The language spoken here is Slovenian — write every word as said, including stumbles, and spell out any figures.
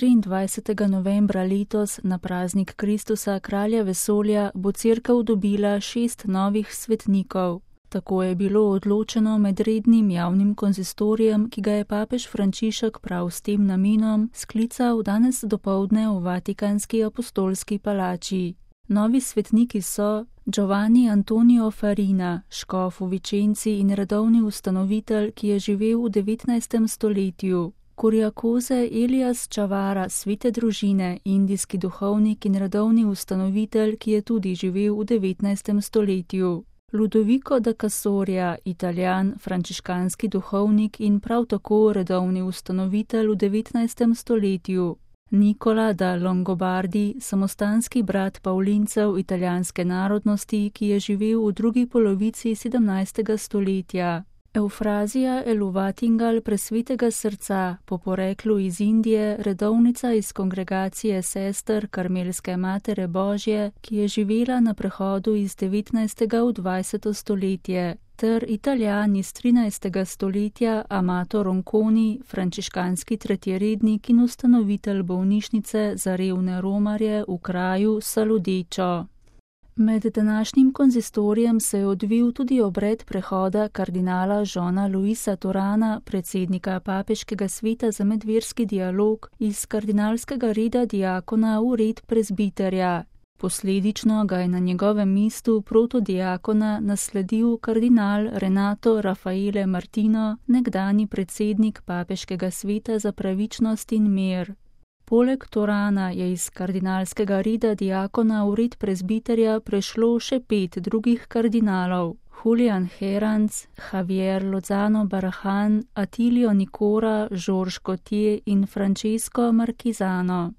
triindvajsetega novembra letos na praznik Kristusa, kralja vesolja, bo cerkev dobila šest novih svetnikov. Tako je bilo odločeno med rednim javnim konzistorijem, ki ga je papež Frančišek prav s tem namenom sklical danes dopoldne v Vatikanski apostolski palači. Novi svetniki so Giovanni Antonio Farina, škof v Vičenci in redovni ustanovitelj, ki je živel v devetnajstem stoletju. Kurjakoze Elias Čavara, svete družine, indijski duhovnik in redovni ustanovitelj, ki je tudi živel v devetnajstem stoletju. Ludovico da Casoria, Italijan, frančiškanski duhovnik in prav tako redovni ustanovitelj v devetnajstem stoletju. Nicola da Longobardi, samostanski brat Pavlincev italijanske narodnosti, ki je živel v drugi polovici sedemnajstega stoletja. Eufrazija Eluvatingal presvetega srca, po poreklu iz Indije, redovnica iz kongregacije sester Karmelske Matere Božje, ki je živela na prehodu iz devetnajstega v dvajseto stoletje, ter Italijan iz trinajstega stoletja Amato Ronconi, frančiškanski tretjerednik in ustanovitelj bolnišnice za revne romarje v kraju Saludečo. Med današnjim konzistorijem se je odvil tudi obred prehoda kardinala Jeana Louisa Turana, predsednika papeškega sveta za medverski dialog, iz kardinalskega reda diakona v red prezbiterja. Posledično ga je na njegovem mestu protodiakona nasledil kardinal Renato Raffaele Martino, nekdanji predsednik papeškega sveta za pravičnost in mir. Poleg Turana je iz kardinalskega reda diakona v red prezbiterja prešlo še pet drugih kardinalov: Julian Herranz, Javier Lozano Barrajan, Attilio Nicora, Georges Gautier in Francesco Marquisano.